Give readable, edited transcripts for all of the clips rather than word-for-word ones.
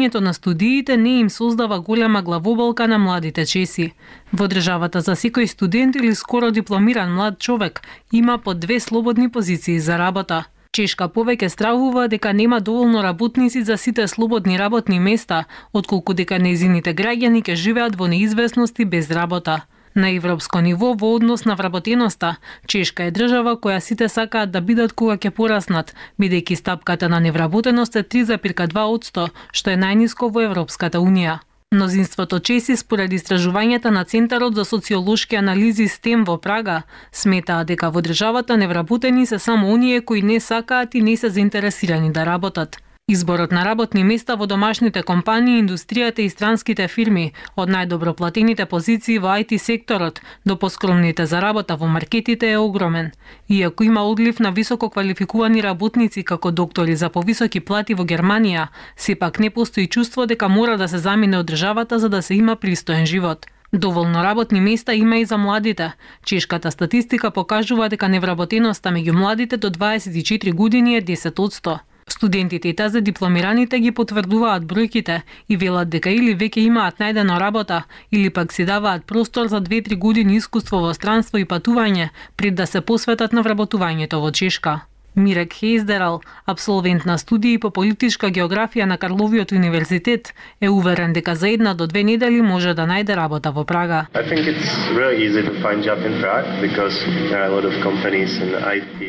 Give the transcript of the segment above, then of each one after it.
Ето на студиите не им создава голема главоболка на младите чеси. Во државата за секој студент или скоро дипломиран млад човек има по 2 слободни позиции за работа. Чешка повеќе стравува дека нема доволно работници за сите слободни работни места, отколку дека нејзините граѓани ќе живеат во неизвестност и без работа. На европско ниво, во однос на вработеноста, Чешка е држава која сите сакаат да бидат кога ќе пораснат, бидејќи стапката на невработеност е 3,2%, што е најниско во Европската унија. Мнозинството чеси, според истражувањата на Центарот за социолошки анализи STEM во Прага, сметаат дека во државата невработени се само оние кои не сакаат и не се заинтересирани да работат. Изборот на работни места во домашните компании, индустријата и странските фирми, од најдобро платените позиции во IT секторот до поскромните за работа во маркетите е огромен. Иако има одлив на високо квалификувани работници како доктори за повисоки плати во Германија, сепак не постои чувство дека мора да се замине од државата за да се има пристоен живот. Доволно работни места има и за младите. Чешката статистика покажува дека невработеноста меѓу младите до 24 години е 10%. Студентите и тази дипломираните ги потврдуваат бројките и велат дека или веќе имаат најдена работа, или пак си даваат простор за 2-3 години искуство во странство и патување пред да се посветат на вработувањето во Чешка. Мирек Хейздерал, абсолвент на студии по политичка географија на Карловиот универзитет, е уверен дека за 1 до 2 недели може да најде работа во Прага.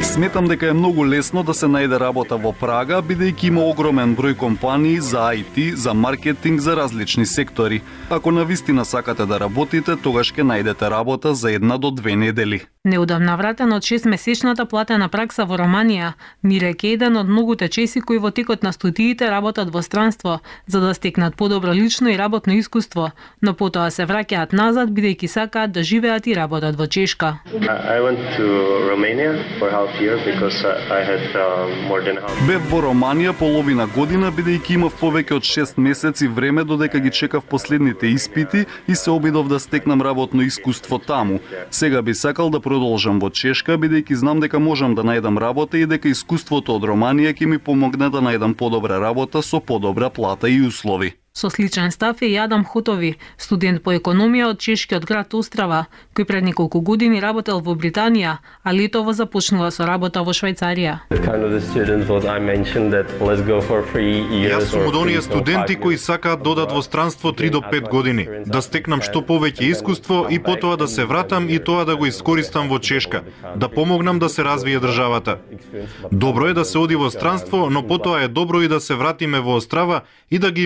Сметам дека е многу лесно да се најде работа во Прага, бидејќи има огромен број компании за IT, за маркетинг, за различни сектори. Ако навистина сакате да работите, тогаш ќе најдете работа за 1 до 2 недели. Неудамна вратен од 6-месечната платена пракса во Романија, Мирек е еден од многуте чеси кои во текот на студиите работат во странство за да стекнат подобро лично и работно искуство, но потоа се враќаат назад бидејќи сакаат да живеат и работат во Чешка. Бев во Романија половина година бидејќи имав повеќе од 6 месеци време додека ги чекав последните испити и се обидов да стекнам работно искуство таму. Сега би сакал да продолжам во Чешка бидејќи знам дека можам да најдам работа и дека искуството од Романија ќе ми помогне да најдам подобра работа со подобра плата и услови. Со сличен став е и Адам Хотови, студент по економија од чешкиот град Острава, кој пред неколку години работел во Британија, а летово започнува со работа во Швајцарија. Јас сум од оние студенти кои сакаат да одат во странство 3 до 5 години, да стекнам што повеќе искуство и потоа да се вратам и тоа да го искористам во Чешка, да помогнам да се развие државата. Добро е да се оди во странство, но потоа е добро и да се вратиме во Острава и да ги